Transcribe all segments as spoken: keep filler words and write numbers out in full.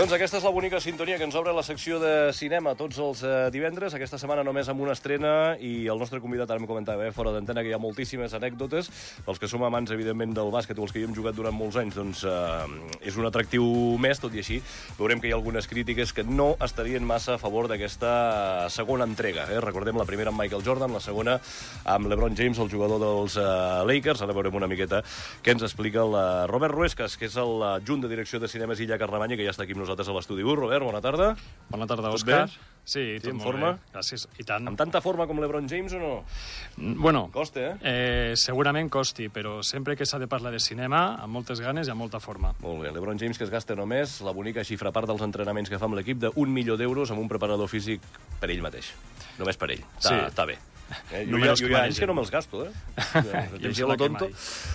Doncs aquesta és la bonica sintonia que ens obre la secció de cinema tots els eh, divendres. Aquesta setmana només amb una estrena i el nostre convidat, ara em comentava, eh, fora d'antena, que hi ha moltíssimes anècdotes. Pels que som amants, evidentment, del bàsquet o els que hi hem jugat durant molts anys, doncs eh, és un atractiu més, tot i així. Veurem que hi ha algunes crítiques que no estarien massa a favor d'aquesta segona entrega. Eh? Recordem la primera amb Michael Jordan, la segona amb LeBron James, el jugador dels eh, Lakers. Ara veurem una miqueta què ens explica el eh, Robert Ruescas, que és el adjunt de direcció de cinemes Illa Carlemany, que ja està aquí amb nosaltres a l'estudi. Robert, bona tarda. Bona tarda, Òscar. Sí, sí, tot en molt forma? bé. Gràcies, i tant. Amb tanta forma com LeBron James o no? Bueno, costa, eh? eh? Segurament costi, però sempre que s'ha de parlar de cinema, amb moltes ganes i amb molta forma. Molt bé. LeBron James, que es gasta només la bonica xifra a part dels entrenaments que fa amb l'equip d'un milió d'euros amb un preparador físic per ell mateix. Només per ell. Sí. Està bé. Eh? Jo, Números jo, jo hi ha anys que no me'ls gasto, eh? Jo em sembla que mai.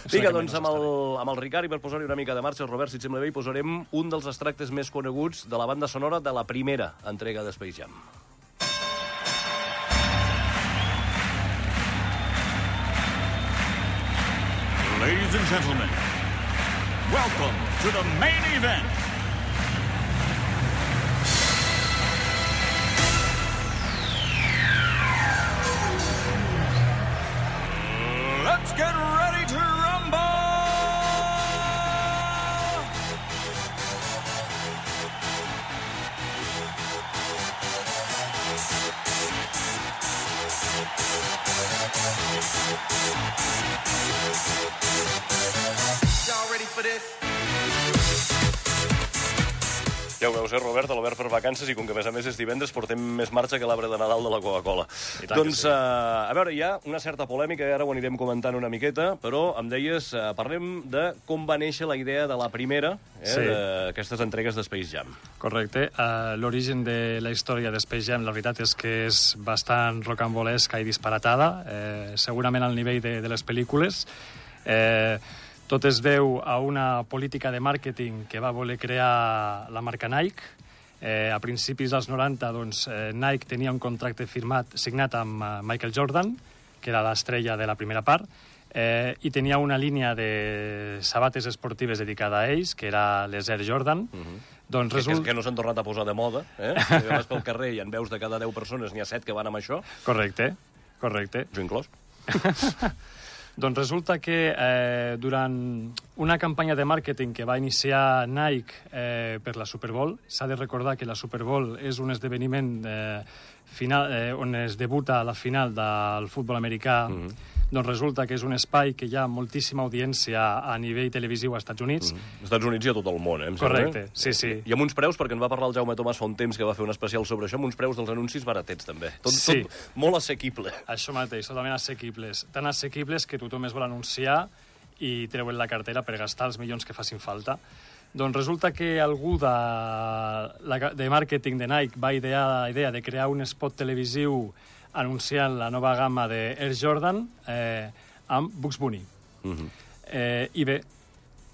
Vinga, doncs amb el, amb el Ricard, i per posar-hi una mica de marxa, Robert, si et sembla bé, hi posarem un dels extractes més coneguts de la banda sonora de la primera entrega de Space Jam. Ladies and gentlemen, welcome to the main event. Let's get ready to rumble! Y'all ready for this? Ja ho veus, eh, Robert, l'Albert per vacances, i com que a més a més és divendres portem més marxa que l'arbre de Nadal de la Coca-Cola. Doncs, sí. uh, a veure, hi ha una certa polèmica, i ara ho anirem comentant una miqueta, però em deies, uh, parlem de com va néixer la idea de la primera eh, sí. d'aquestes entregues de Space Jam. Correcte. Uh, L'origen de la història de Space Jam, la veritat és que és bastant rocambolesca i disparatada, eh, segurament al nivell de, de les pel·lícules. Eh, Tot es deu a una política de màrqueting que va voler crear la marca Nike. Eh, a principis dels noranta, doncs, eh, Nike tenia un contracte firmat, signat amb uh, Michael Jordan, que era l'estrella de la primera part, eh, i tenia una línia de sabates esportives dedicada a ells, que era les Air Jordan. Uh-huh. Doncs que, result... que, que no s'han tornat a posar de moda, eh? Si vas pel carrer i en veus de cada deu persones n'hi ha set que van amb això. Correcte, correcte. Jo inclòs. Doncs resulta que eh, durant una campanya de màrqueting que va iniciar Nike eh, per la Super Bowl, s'ha de recordar que la Super Bowl és un esdeveniment eh, final, eh, on es debuta a la final del futbol americà. Mm-hmm. Doncs resulta que és un espai que hi ha moltíssima audiència a nivell televisiu als Estats Units. Mm-hmm. Als Estats Units i a tot el món, eh? Correcte, sí, sí. I amb uns preus, perquè en va parlar el Jaume Tomàs fa un temps que va fer un especial sobre això, amb uns preus dels anuncis baratets, també. Tot, sí. tot molt assequible. Això mateix, totalment assequibles. Tan assequibles que tothom es vol anunciar i treuen la cartera per gastar els milions que facin falta. Doncs resulta que algú de, de màrqueting de Nike va idear la idea de crear un spot televisiu anunciant la nova gamma de Air Jordan eh, amb Bugs Bunny. Uh-huh. eh, I bé,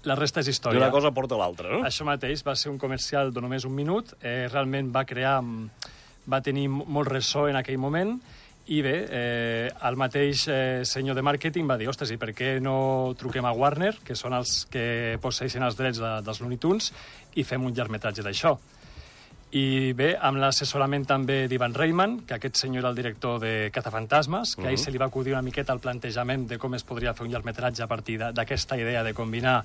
la resta és història. I una cosa porta l'altra, no? Això mateix, va ser un comercial de només un minut, eh, realment va crear, va tenir molt ressò en aquell moment, i bé, eh, el mateix eh, senyor de màrqueting va dir, ostres, i per què no truquem a Warner, que són els que posseixen els drets de, dels Looney Tunes, i fem un llargmetratge d'això. I bé, amb l'assessorament també d'Ivan Reitman, que aquest senyor era el director de Cazafantasmes, que uh-huh. a ell se li va acudir una miqueta el plantejament de com es podria fer un llargmetratge a partir d'aquesta idea de combinar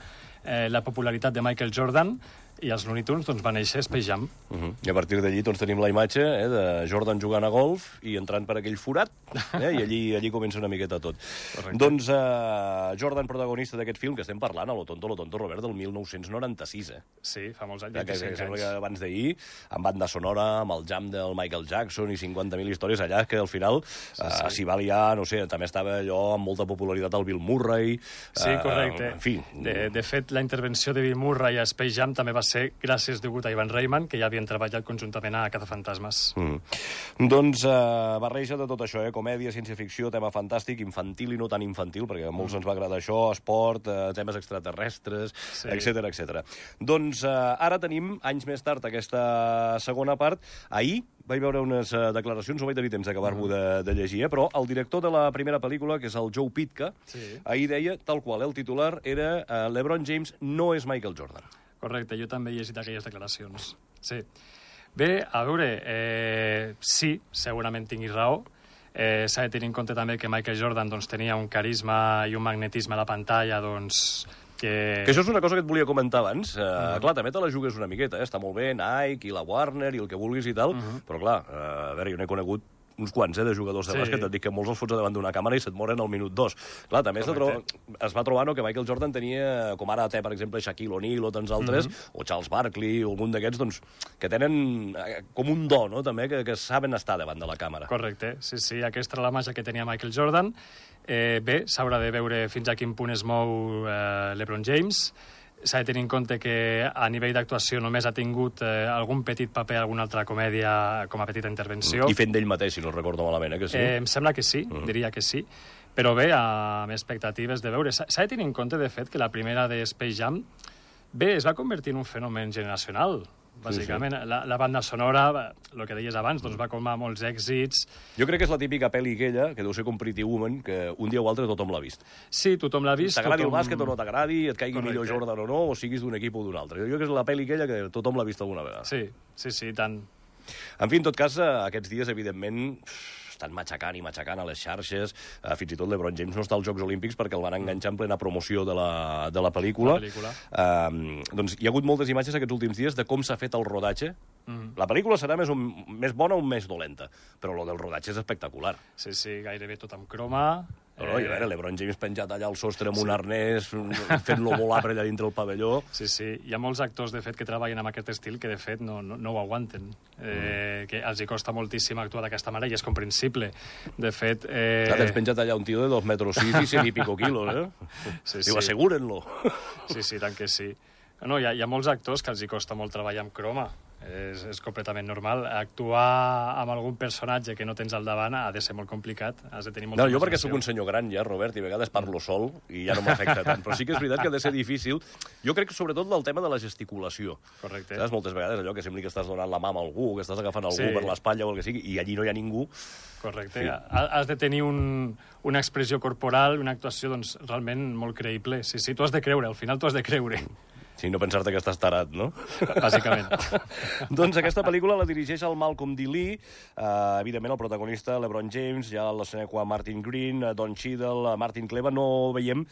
eh, la popularitat de Michael Jordan, i els Looney Tunes doncs, va néixer Space Jam. Uh -huh. I a partir d'allí doncs, tenim la imatge eh, de Jordan jugant a golf i entrant per aquell forat, eh, i allí, allí comença una miqueta tot. Correcte. Doncs uh, Jordan, protagonista d'aquest film, que estem parlant, a Lo tonto, lo tonto, Robert, del mil nou-cents noranta-sis. Eh? Sí, fa molts anys, que, que, que anys. Sembla que abans d'ahir, amb banda sonora, amb el jam del Michael Jackson i cinquanta mil històries allà, que al final s'hi sí, sí. uh, va liar, no sé, també estava allò amb molta popularitat el Bill Murray. Sí, correcte. Uh, en fi. De, de fet, la intervenció de Bill Murray a Space Jam també va ser gràcies degut a Ivan Reitman, que ja havien treballat conjuntament a Cazafantasmes. Mm. Doncs uh, barreja de tot això, eh? Comèdia, ciència-ficció, tema fantàstic, infantil i no tan infantil, perquè a molts mm. ens va agradar això, esport, uh, temes extraterrestres, sí. etcètera, etcètera. Doncs uh, ara tenim, anys més tard, aquesta segona part. Ahir vaig veure unes uh, declaracions, no vaig tenir temps d'acabar-m'ho mm. de, de llegir, eh? Però el director de la primera pel·lícula, que és el Joe Pytka, sí. ahir deia, tal qual, eh? El titular era uh, LeBron James no és Michael Jordan. Correcte, jo també he llegit aquelles declaracions. Sí. Bé, a veure, eh, sí, segurament tinguis raó. Eh, S'ha de tenir en compte també que Michael Jordan doncs, tenia un carisma i un magnetisme a la pantalla, doncs, que... Que això és una cosa que et volia comentar abans. Uh, uh-huh. Clar, també te la jugues una miqueta, eh? Està molt bé Nike i la Warner i el que vulguis i tal, uh-huh. però clar, uh, a veure, jo n'he conegut uns quants, eh, de jugadors de sí. bàsquet, et dic que molts els fots davant d'una càmera i se't moren al minut dos. Clar, també es, tro... es va trobar no, que Michael Jordan tenia, com ara té, per exemple, Shaquille O'Neal o tants altres, mm-hmm. o Charles Barkley, o algun d'aquests, doncs, que tenen com un do, no?, també, que, que saben estar davant de la càmera. Correcte, sí, sí, aquesta era la màgia que tenia Michael Jordan. Eh, bé, s'haurà de veure fins a quin punt es mou eh, LeBron James. S'ha de tenir en compte que a nivell d'actuació només ha tingut eh, algun petit paper, alguna altra comèdia com a petita intervenció. I fent d'ell mateix, si no recordo malament, eh, que sí? Eh, em sembla que sí, uh-huh. diria que sí. Però bé, amb expectatives de veure. S'ha de tenir en compte, de fet, que la primera de Space Jam bé, es va convertir en un fenomen generacional. Bàsicament, sí, sí. La, la banda sonora, el que deies abans, doncs va com a molts èxits. Jo crec que és la típica pel·li aquella, que deu ser com Pretty Woman, que un dia o altre tothom l'ha vist. Sí, tothom l'ha vist. T'agradi tothom... el bàsquet o no t'agradi, et caigui Correcte. millor Jordan o no, o siguis d'un equip o d'un altre. Jo crec que és la pel·li aquella que tothom l'ha vist alguna vegada. Sí, sí, sí, tant. En fi, en tot cas, aquests dies, evidentment, estan matxacant i matxacant a les xarxes. Uh, fins i tot LeBron James no està als Jocs Olímpics perquè el van enganxar en plena promoció de la, de la pel·lícula. La pel·lícula. Uh, doncs hi ha hagut moltes imatges aquests últims dies de com s'ha fet el rodatge. Mm. La pel·lícula serà més, un, més bona o més dolenta, però lo del rodatge és espectacular. Sí, sí, gairebé tot amb croma. No, no, i a veure, LeBron James penjat allà al sostre amb sí. un arnès, fent-lo volar per allà dintre el pavelló. Sí, sí. Hi ha molts actors, de fet, que treballen amb aquest estil que, de fet, no, no, no ho aguanten. Eh, mm. Que els hi costa moltíssim actuar d'aquesta manera i és comprensible. De fet... Eh... Clar, tens penjat allà un tio de dos metres sis i cent i pico quilos, eh? Sí, Diu, sí. asseguren-lo. Sí, sí, tant que sí. No, hi ha, hi ha molts actors que els hi costa molt treballar amb croma. És, és completament normal. Actuar amb algun personatge que no tens al davant ha de ser molt complicat. Has de tenir molta no, jo perquè sóc un senyor gran ja, Robert, i a vegades parlo sol i ja no m'afecta tant. Però sí que és veritat que ha de ser difícil. Jo crec que sobretot del tema de la gesticulació. Correcte. Saps? Moltes vegades allò que sembli que estàs donant la mà a algú, que estàs agafant algú sí. per l'espatlla o el que sigui, i allí no hi ha ningú. Correcte. Sí. Has de tenir un, una expressió corporal, una actuació doncs, realment molt creïble. Sí, sí, tu has de creure, al final tu has de creure. Sí, no pensar-te que estàs tarat, no? Bàsicament. Doncs aquesta pel·lícula la dirigeix el Malcolm D. Lee, uh, evidentment el protagonista, LeBron James, ja la Seneca Martin Green, uh, Don Cheadle, uh, Martin Kleba, no veiem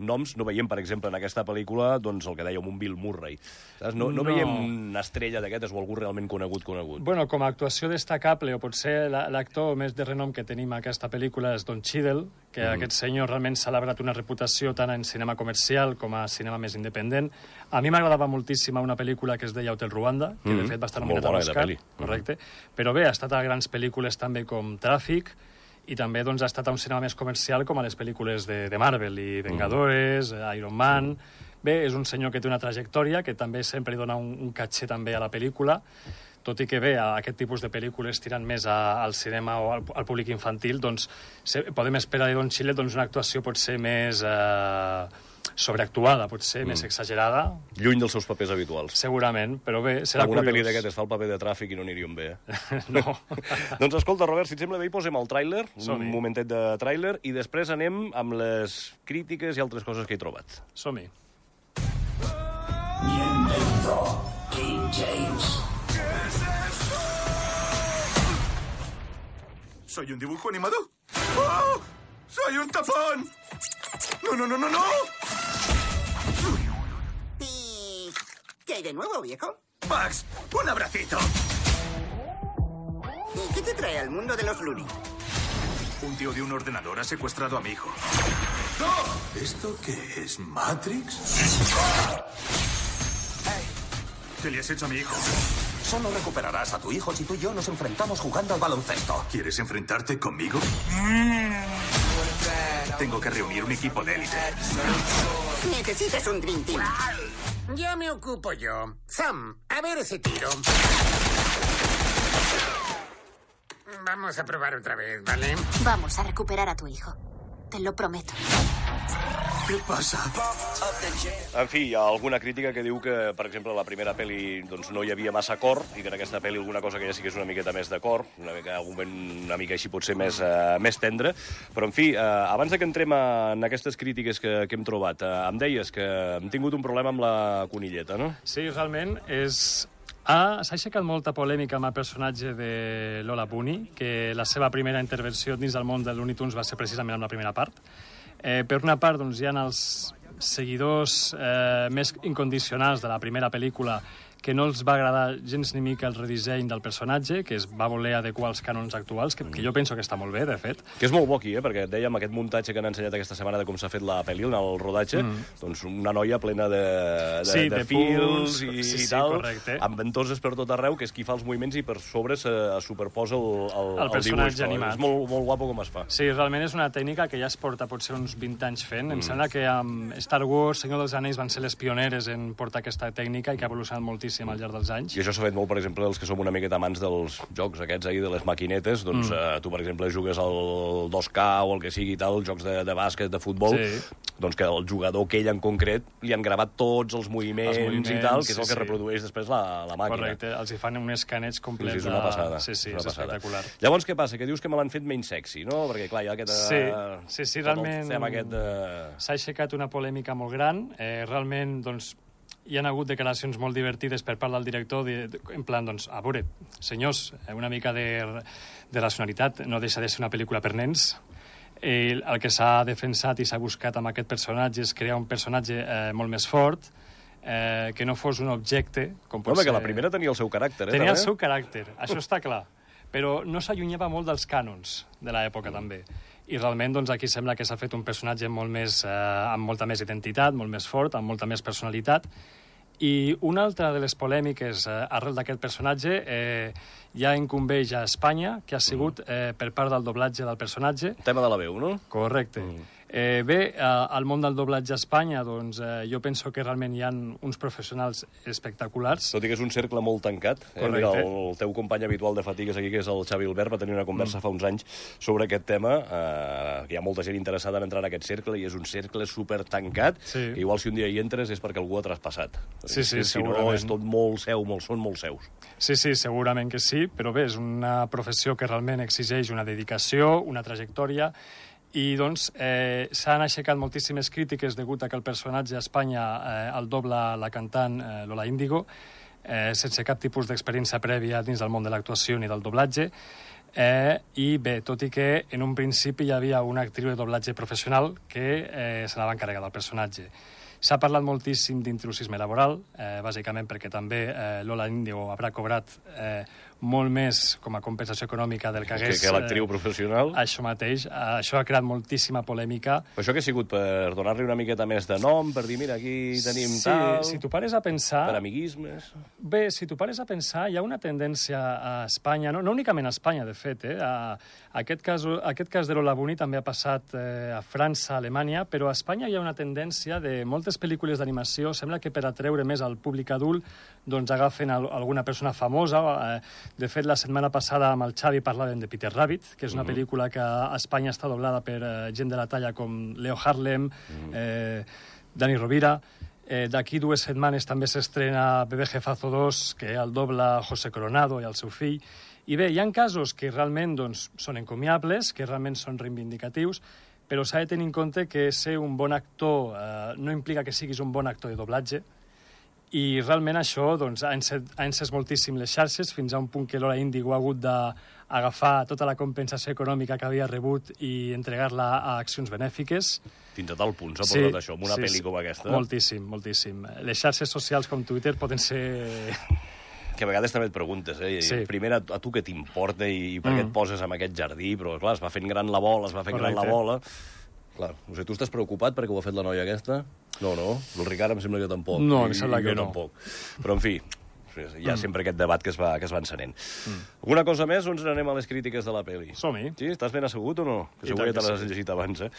noms, no veiem, per exemple, en aquesta pel·lícula, doncs el que dèiem, un Bill Murray. Saps? No, no, no veiem una estrella d'aquestes o algú realment conegut, conegut. Bueno, com a actuació destacable, o potser l'actor més de renom que tenim a aquesta pel·lícula és Don Cheadle, que mm. aquest senyor realment s'ha labrat una reputació tant en cinema comercial com a cinema més independent. A mi m'agradava moltíssim una pel·lícula que es deia Hotel Ruanda, que de fet va estar nominat a l'Oscar. Correcte. Però bé, ha estat a grans pel·lícules també com Tràfic, i també doncs, ha estat a un cinema més comercial com a les pel·lícules de, de Marvel, i Vengadores, mm. Iron Man... Bé, és un senyor que té una trajectòria, que també sempre li dona un, un caché també a la pel·lícula, tot i que bé, aquest tipus de pel·lícules tirant més a, al cinema o al, al públic infantil, doncs se, podem esperar de Don Cheadle doncs, una actuació potser més eh, sobreactuada, potser mm. més exagerada. Lluny dels seus papers habituals. Segurament, però bé, serà Alguna curiós. pel·li d'aquestes fa el paper de Tràfic i no aniríem bé, eh? No. Doncs escolta, Robert, si et sembla bé, hi posem el tràiler, un momentet de tràiler, i després anem amb les crítiques i altres coses que he trobat. Som-hi. Bienvenido, King James. ¿Qué es esto? ¿Soy un dibujo animado? ¡Oh! ¡Soy un tapón! ¡No, no, no, no, no! hay de nuevo, viejo? Max, un abracito. ¿Y qué te trae al mundo de los Looney? Un tío de un ordenador ha secuestrado a mi hijo. ¡No! ¿Esto qué es? ¿Matrix? ¿Qué le has hecho a mi hijo? Solo recuperarás a tu hijo si tú y yo nos enfrentamos jugando al baloncesto. ¿Quieres enfrentarte conmigo? Tengo que reunir un equipo de élite. Necesitas un Dream Team. Ya me ocupo yo. Sam, a ver ese tiro. Vamos a probar otra vez, ¿vale? Vamos a recuperar a tu hijo. Te lo prometo. Què passa? En fi, hi ha alguna crítica que diu que, per exemple, la primera pel·li doncs, no hi havia massa cor i que en aquesta pel·li alguna cosa que ja sí que és una miqueta més de cor, una mica, algun moment una mica així pot ser més, uh, més tendre. Però, en fi, uh, abans de que entrem en aquestes crítiques que, que hem trobat, uh, em deies que hem tingut un problema amb la conilleta, no? Sí, realment és... Ah, s'ha aixecat molta polèmica amb el personatge de Lola Bunny, que la seva primera intervenció dins del món de Looney Tunes va ser precisament amb la primera part. Eh, per una part, doncs, hi ha els seguidors eh, més incondicionals de la primera pel·lícula que no els va agradar gens ni mica el redisseny del personatge, que es va voler adequar als cànons actuals, que, que jo penso que està molt bé, de fet. Que és molt bo aquí, eh? Perquè et dèiem aquest muntatge que han ensenyat aquesta setmana de com s'ha fet la pel·li, el rodatge, mm. doncs una noia plena de, de, sí, de, de fils i, sí, sí, tal, correcte. amb ventoses per tot arreu, que és qui fa els moviments i per sobre se superposa el, el, el personatge el animat. És molt, molt guapo com es fa. Sí, realment és una tècnica que ja es porta potser uns vint anys fent. Mm. Em sembla que amb Star Wars, Senyor dels Anells van ser les pioneres en portar aquesta tècnica i que ha evolucionat moltíssim al llarg dels anys. I això s'ha fet molt, per exemple, els que som una miqueta amants dels jocs aquests ahir, de les maquinetes, doncs mm. eh, tu, per exemple, jugues al dos K o el que sigui i tal, jocs de, de bàsquet, de futbol, sí. doncs que el jugador aquell en concret li han gravat tots els moviments, els moviments i tal, que és el sí, que sí. reprodueix després la, la màquina. Correcte, els hi fan un escaneig complet. Sí, sí, és una passada. Sí, sí, és, és espectacular. Llavors, què passa? Que dius que me l'han fet menys sexy, no? Perquè, clar, hi ha aquest... Sí, sí, sí realment... Aquest, uh... s'ha aixecat una polèmica molt gran. Eh, realment, doncs, hi ha hagut declaracions molt divertides per part del director, de, de, en plan, doncs, a veure, senyors, una mica de, de racionalitat, no deixa de ser una pel·lícula per nens. Eh, el que s'ha defensat i s'ha buscat amb aquest personatge és crear un personatge eh, molt més fort, eh, que no fos un objecte... Com pot no, ser... que la primera tenia el seu caràcter, eh? Tenia també? el seu caràcter, això està clar. Però no s'allunyava molt dels cànons de l'època, mm. també. I realment doncs, aquí sembla que s'ha fet un personatge molt més, eh, amb molta més identitat, molt més fort, amb molta més personalitat. I una altra de les polèmiques eh, arrel d'aquest personatge eh, ja incumbeix a Espanya, que ha sigut eh, per part del doblatge del personatge. El tema de la veu, no? Correcte. Mm. Eh, bé, eh, al món del doblatge a Espanya, doncs, eh, jo penso que realment hi ha uns professionals espectaculars. Tot i que és un cercle molt tancat. Eh? Mira, el, el teu company habitual de fatigues aquí, que és el Xavi Albert, va tenir una conversa mm. fa uns anys sobre aquest tema, eh, que hi ha molta gent interessada en entrar en aquest cercle, i és un cercle super tancat, sí. que igual si un dia hi entres és perquè algú ha traspassat. Sí, sí, si segurament. no, és tot molt seu, molt, són molt seus. Sí, sí, segurament que sí, però bé, és una professió que realment exigeix una dedicació, una trajectòria, i doncs eh, s'han aixecat moltíssimes crítiques degut a que el personatge a Espanya eh, el dobla la cantant eh, Lola Índigo, eh, sense cap tipus d'experiència prèvia dins del món de l'actuació ni del doblatge. Eh, I bé, tot i que en un principi hi havia una actriu de doblatge professional que eh, se n'anava encarregar del personatge. S'ha parlat moltíssim d'intrusisme laboral, eh, bàsicament perquè també eh, Lola Índigo haurà cobrat eh, molt més com a compensació econòmica del que hagués... Que, que l'actriu professional. Eh, això mateix. Eh, això ha creat moltíssima polèmica. Però això que ha sigut per donar-li una miqueta més de nom, per dir, mira, aquí tenim sí, tal... si tu pares a pensar... Per amiguismes... Bé, si tu pares a pensar, hi ha una tendència a Espanya, no, no únicament a Espanya, de fet, eh? A, aquest, cas, aquest cas de Lola Bunny també ha passat eh, a França, a Alemanya, però a Espanya hi ha una tendència de moltes pel·lícules d'animació, sembla que per atreure més al públic adult, doncs agafen a, a alguna persona famosa. Eh, de fet, la setmana passada amb el Xavi parlàvem de Peter Rabbit, que és una uh-huh. pel·lícula que a Espanya està doblada per eh, gent de la talla com Leo Harlem, uh-huh. eh, Dani Rovira. Eh, D'aquí dues setmanes també s'estrena Bebé Jefazo dos, que el dobla José Coronado i el seu fill. I bé, hi ha casos que realment doncs, són encomiables, que realment són reivindicatius, però s'ha de tenir en compte que ser un bon actor eh, no implica que siguis un bon actor de doblatge, I realment això doncs, ha encès, ha encès moltíssim les xarxes, fins a un punt que l'Hora Índigo ha hagut d'agafar tota la compensació econòmica que havia rebut i entregar-la a accions benèfiques. Fins a tal punt s'ha portat això, amb una sí, pel·li com aquesta. Moltíssim, moltíssim. Les xarxes socials com Twitter poden ser... Que a vegades també et preguntes, eh? Sí. Primer, a tu què t'importa i, i per què Mm. et poses en aquest jardí? Però, clar, es va fent gran la bola, es va fent Correcte. gran la bola... Clar, no sé, tu estàs preocupat perquè ho ha fet la noia aquesta? No, no, el Ricard em sembla que tampoc. No, I, em sembla i que jo no. Tampoc. Però, en fi, hi ha sempre aquest debat que es va, que es va encenent. Mm. Alguna cosa més o ens anem a les crítiques de la pel·li? Som-hi. Sí? Estàs ben assegut o no? Que I segur que tant te que l'has sí. llegit abans, eh?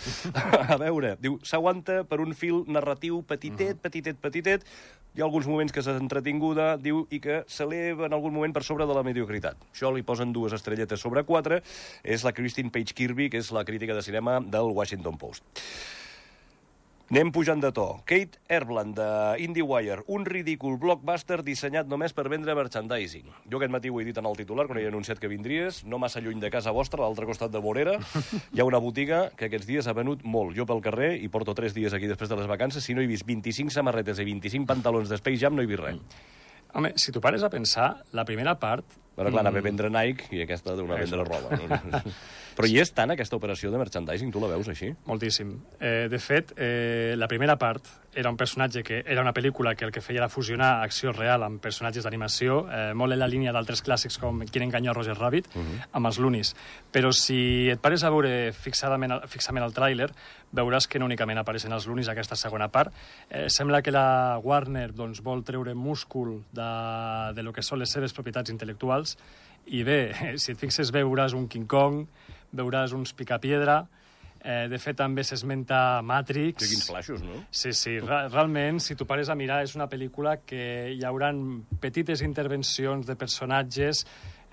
A veure, diu, s'aguanta per un fil narratiu petitet, petitet, petitet. Hi ha alguns moments que s'ha entretinguda, diu, i que s'eleva en algun moment per sobre de la mediocritat. Això li posen dues estrelletes sobre quatre. És la Christine Page Kirby, que és la crítica de cinema del Washington Post. Anem pujant de to. Kate Erbland, de IndieWire, un ridícul blockbuster dissenyat només per vendre merchandising. Jo aquest matí ho he dit en el titular, quan he anunciat que vindries, no massa lluny de casa vostra, a l'altre costat de Vorera, hi ha una botiga que aquests dies ha venut molt. Jo pel carrer, i porto tres dies aquí després de les vacances, si no he vist vint-i-cinc samarretes i vint-i-cinc pantalons de Space Jam, no he vist res. Home, si t'ho pares a pensar, la primera part... Però clar, anava a vendre Nike i aquesta d'una a vendre roba. No? Però hi és tant aquesta operació de merchandising? Tu la veus així? Moltíssim. Eh, de fet, eh, la primera part era un personatge que era una pel·lícula que el que feia era fusionar acció real amb personatges d'animació, eh, molt en la línia d'altres clàssics com Qui enganyó a Roger Rabbit, uh -huh. amb els Loonies. Però si et pares a veure fixadament, fixament el tràiler, veuràs que no únicament apareixen els Loonies a aquesta segona part. Eh, sembla que la Warner doncs, vol treure múscul de, de lo que són les seves propietats intel·lectuals. I bé, si et fixes, veuràs un King Kong, veuràs uns Picapiedra, eh, de fet també s'esmenta Matrix... Que quins flaixos, no? Sí, sí, re realment, si tu pares a mirar, és una pel·lícula que hi haurà petites intervencions de personatges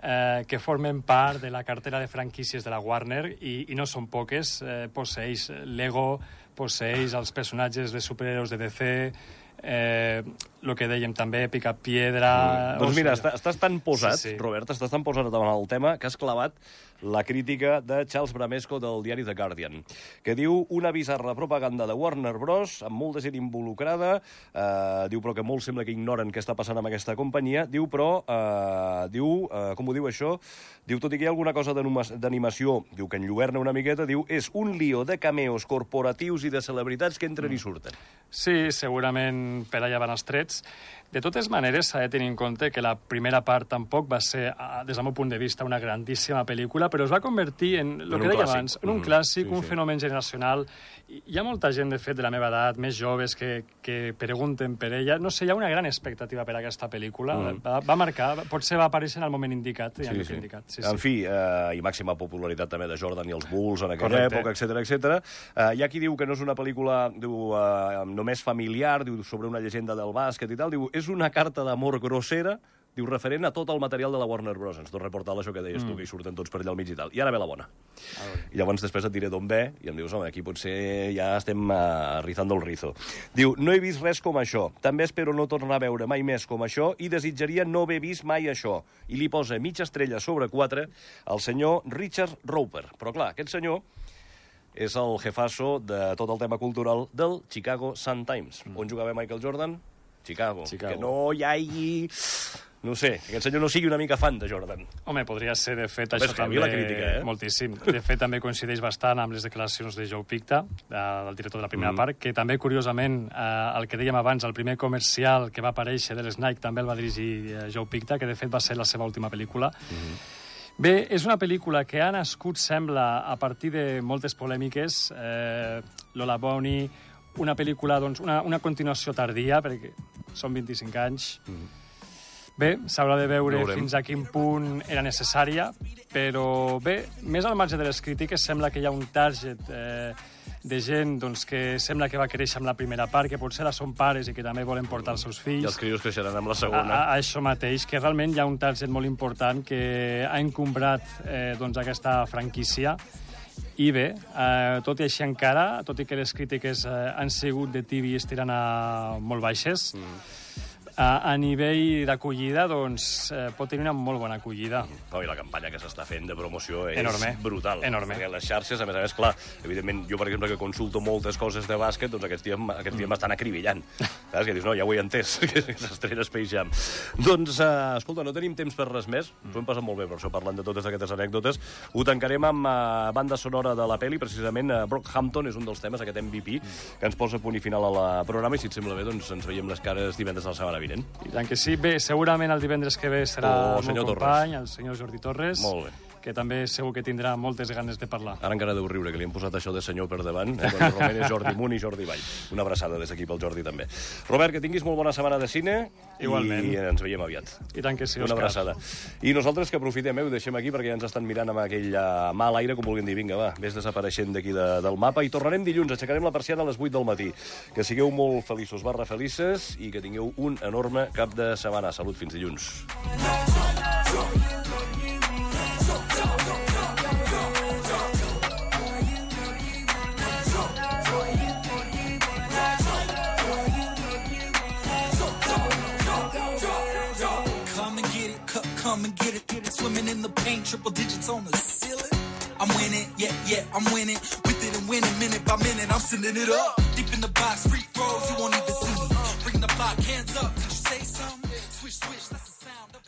eh, que formen part de la cartera de franquícies de la Warner, i, i no són poques. Eh, posseeix Lego, posseeix els personatges de superhéroes de D C... Eh, el que dèiem també, Picapiedra... Mm. Doncs mira, o sigui, estàs tan posat, sí, sí. Robert, estàs tan posat davant el tema que has clavat la crítica de Charles Bramesco del diari The Guardian, que diu una bizarra propaganda de Warner Bros, amb molta gent involucrada, eh, diu però que molt sembla que ignoren què està passant amb aquesta companyia, diu però, eh, diu, eh, com ho diu això, diu tot i que hi ha alguna cosa d'animació, diu que enlluerna una miqueta, diu és un lío de cameos corporatius i de celebritats que entren mm. i surten. Sí, segurament per allà van els trets. De totes maneres, s'ha de tenir en compte que la primera part tampoc va ser, des del meu punt de vista, una grandíssima pel·lícula, però es va convertir en, el que deia abans, en un clàssic, mm, sí, un sí. fenomen generacional. Hi ha molta gent, de fet, de la meva edat, més joves, que, que pregunten per ella. No sé, hi ha una gran expectativa per aquesta pel·lícula. Mm. Va, va marcar, potser va aparèixer en el moment indicat. Sí, sí. indicat. Sí, en sí. fi, eh, i màxima popularitat també de Jordan i els Bulls en aquella Correcte. època, etcètera, etcètera. Eh, hi ha qui diu que no és una pel·lícula diu, eh, només familiar, diu sobre una llegenda del bàsquet i tal, diu és una carta d'amor grossera, diu, referent a tot el material de la Warner Bros. Ens tot reportar això que deies mm. tu, que hi surten tots per allà al mig i tal. I ara ve la bona. I llavors després et diré d'on ve, i em dius, home, aquí potser ja estem uh, rizando el rizo. Diu, no he vist res com això. També espero no tornar a veure mai més com això i desitjaria no haver vist mai això. I li posa mitja estrella sobre quatre al senyor Richard Roeper. Però clar, aquest senyor és el jefasso de tot el tema cultural del Chicago Sun-Times. Mm. On jugava Michael Jordan? Chicago. Chicago. Que no hi hagi... No sé, que aquest senyor no sigui una mica fan de Jordan. Home, podria ser, de fet, Home, això també... la crítica, eh? Moltíssim. De fet, també coincideix bastant amb les declaracions de Joe Picta, del director de la primera mm. part, que també, curiosament, eh, el que dèiem abans, el primer comercial que va aparèixer de l'Snike també el va dirigir eh, Joe Picta, que de fet va ser la seva última pel·lícula. Mm. Bé, és una pel·lícula que ha nascut, sembla, a partir de moltes polèmiques. Eh, Lola Bunny, una pel·lícula, doncs, una, una continuació tardia, perquè són vint-i-cinc anys. Mm. Bé, s'haurà de veure fins a quin punt era necessària, però bé, més al marge de les crítiques, sembla que hi ha un target eh, de gent doncs, que sembla que va créixer amb la primera part, que potser són pares i que també volen portar els seus fills. I els crios creixeran amb la segona. A, a això mateix, que realment hi ha un target molt important que ha encombrat eh, doncs, aquesta franquícia. I bé, eh, tot i així encara, tot i que les crítiques eh, han sigut de tibi estirant a molt baixes, mm. A, a nivell d'acollida, doncs, eh, pot tenir una molt bona acollida. No, i la campanya que s'està fent de promoció és Enorme. brutal. Enorme. Perquè les xarxes, a més a més, clar, evidentment, jo, per exemple, que consulto moltes coses de bàsquet, doncs aquests dies, aquests dies m'estan acribillant. Saps? Que dius, no, ja ho he entès, que s'estrena Space Jam. Doncs, uh, escolta, no tenim temps per res més. Ens ho hem passat molt bé, per això, parlant de totes aquestes anècdotes. Ho tancarem amb uh, banda sonora de la peli, precisament, uh, Brockhampton és un dels temes, aquest M V P, que ens posa punt i final a la programa, i si et sembla bé, doncs ens veiem les cares divendres de la setmana vinent. I tant que sí. Bé, segurament el divendres que ve serà Oh, el senyor meu Torres. company, el senyor Jordi Torres, Molt bé. que també segur que tindrà moltes ganes de parlar. Ara encara deu riure, que li hem posat això de senyor per davant. Eh? Doncs Romer és Jordi Munt i Jordi Vall. Una abraçada des d'aquí pel Jordi, també. Robert, que tinguis molt bona setmana de cine. Igualment. I ens veiem aviat. I tant que sí, Una Òscar. abraçada. I nosaltres que aprofitem, eh, ho deixem aquí perquè ja ens estan mirant amb aquell uh, mal aire, com vulguin dir. Vinga, va, vés desapareixent d'aquí de, del mapa. I tornarem dilluns, aixecarem la persiana a les vuit del matí. Que sigueu molt feliços barra felices i que tingueu un enorme cap de setmana. Salut, fins dilluns. Come and get it, swimming in the paint, triple digits on the ceiling. I'm winning, yeah, yeah, I'm winning. With it and winning, minute by minute, I'm sending it up. Deep in the box, free throws, you won't even see me. Bring the block, hands up, did you say something? Swish, swish, that's the sound of it.